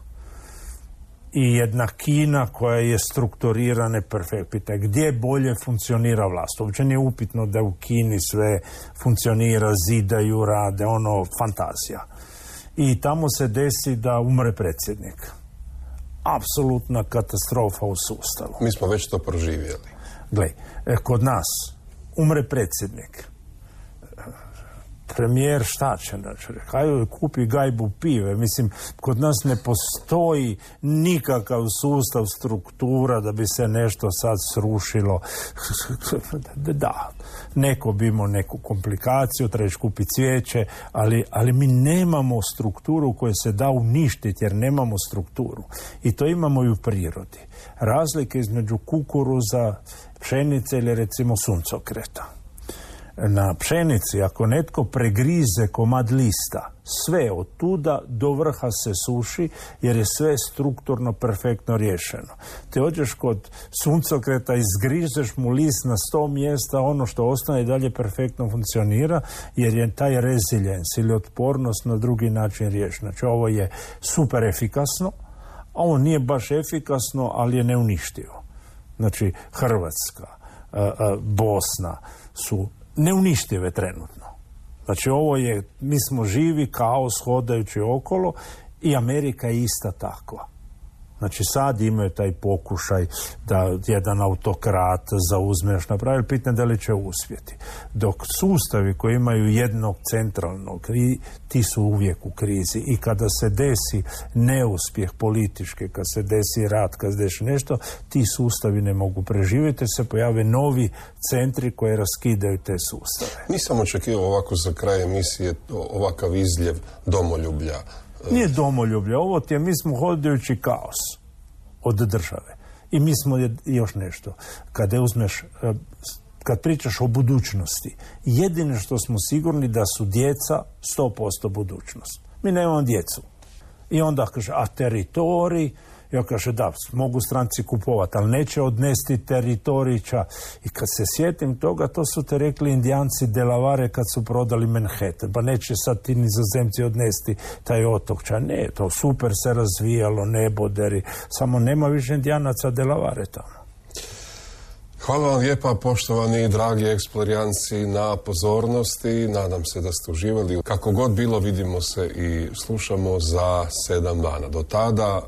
[SPEAKER 7] i jedna Kina koja je strukturirana perfektno. Gdje bolje funkcionira vlast? Uopće nije upitno da u Kini sve funkcionira, zidaju, rade, fantazija. I tamo se desi da umre predsjednik. Apsolutna katastrofa u sustavu.
[SPEAKER 6] Mi smo već to proživjeli.
[SPEAKER 7] Gle, kod nas umre predsjednik. Premijer šta će? Hajde kupi gajbu pive. Mislim, kod nas ne postoji nikakav sustav, struktura da bi se nešto sad srušilo. Da, neko bi imao neku komplikaciju, trebaš kupiti cvijeće, ali mi nemamo strukturu koju se da uništiti jer nemamo strukturu. I to imamo i u prirodi. Razlike između kukuruza, pšenice ili recimo suncokreta. Na pšenici, ako netko pregrize komad lista, sve od tuda do vrha se suši jer je sve strukturno perfektno riješeno. Te ođeš kod suncokreta, izgrizeš mu list na 100 mjesta, ono što ostane i dalje perfektno funkcionira jer je taj rezilijens ili otpornost na drugi način riješeno. Znači ovo je super efikasno, a ovo nije baš efikasno, ali je neuništivo. Znači Hrvatska, Bosna su neuništive trenutno. Znači ovo je, mi smo živi kaos hodajući okolo i Amerika je ista takva. Znači sad imaju taj pokušaj da jedan autokrat zauzmeš napravi, pitanje da li će uspjeti. Dok sustavi koji imaju jednog centralnog, ti su uvijek u krizi i kada se desi neuspjeh politički, kad se desi rat, kad se desi nešto, ti sustavi ne mogu preživjeti, se pojave novi centri koji raskidaju te sustave.
[SPEAKER 6] Nisam očekivao ovako za kraj emisije ovakav izljev domoljublja.
[SPEAKER 7] Nije domoljublje, ovo ti je, mi smo hodajući kaos od države. I mi smo još nešto. Kad pričaš o budućnosti, jedino što smo sigurni da su djeca 100% budućnost. Mi nemamo djecu. I onda kaže, a teritorij, ja kaže, da, mogu stranci kupovati, ali neće odnesti teritorića. I kad se sjetim toga, to su te rekli Indijanci Delavare kad su prodali Manhattan. Pa neće sad ti nizozemci odnesti taj otok. Ne, to super se razvijalo, neboderi. Samo nema više Indijanaca Delavare tamo.
[SPEAKER 6] Hvala vam lijepa, poštovani dragi eksplorijanci, na pozornosti. Nadam se da ste uživali. Kako god bilo, vidimo se i slušamo za 7 dana. Do tada,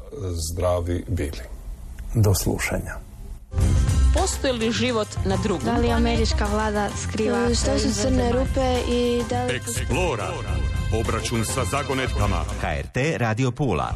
[SPEAKER 6] zdravi bili.
[SPEAKER 7] Do slušanja.
[SPEAKER 1] Postoji li život na drugom?
[SPEAKER 2] Da li američka vlada skriva? Što su crne rupe i da li...
[SPEAKER 4] Eksplora. Obračun sa zagonetkama.
[SPEAKER 5] HRT Radio Pula.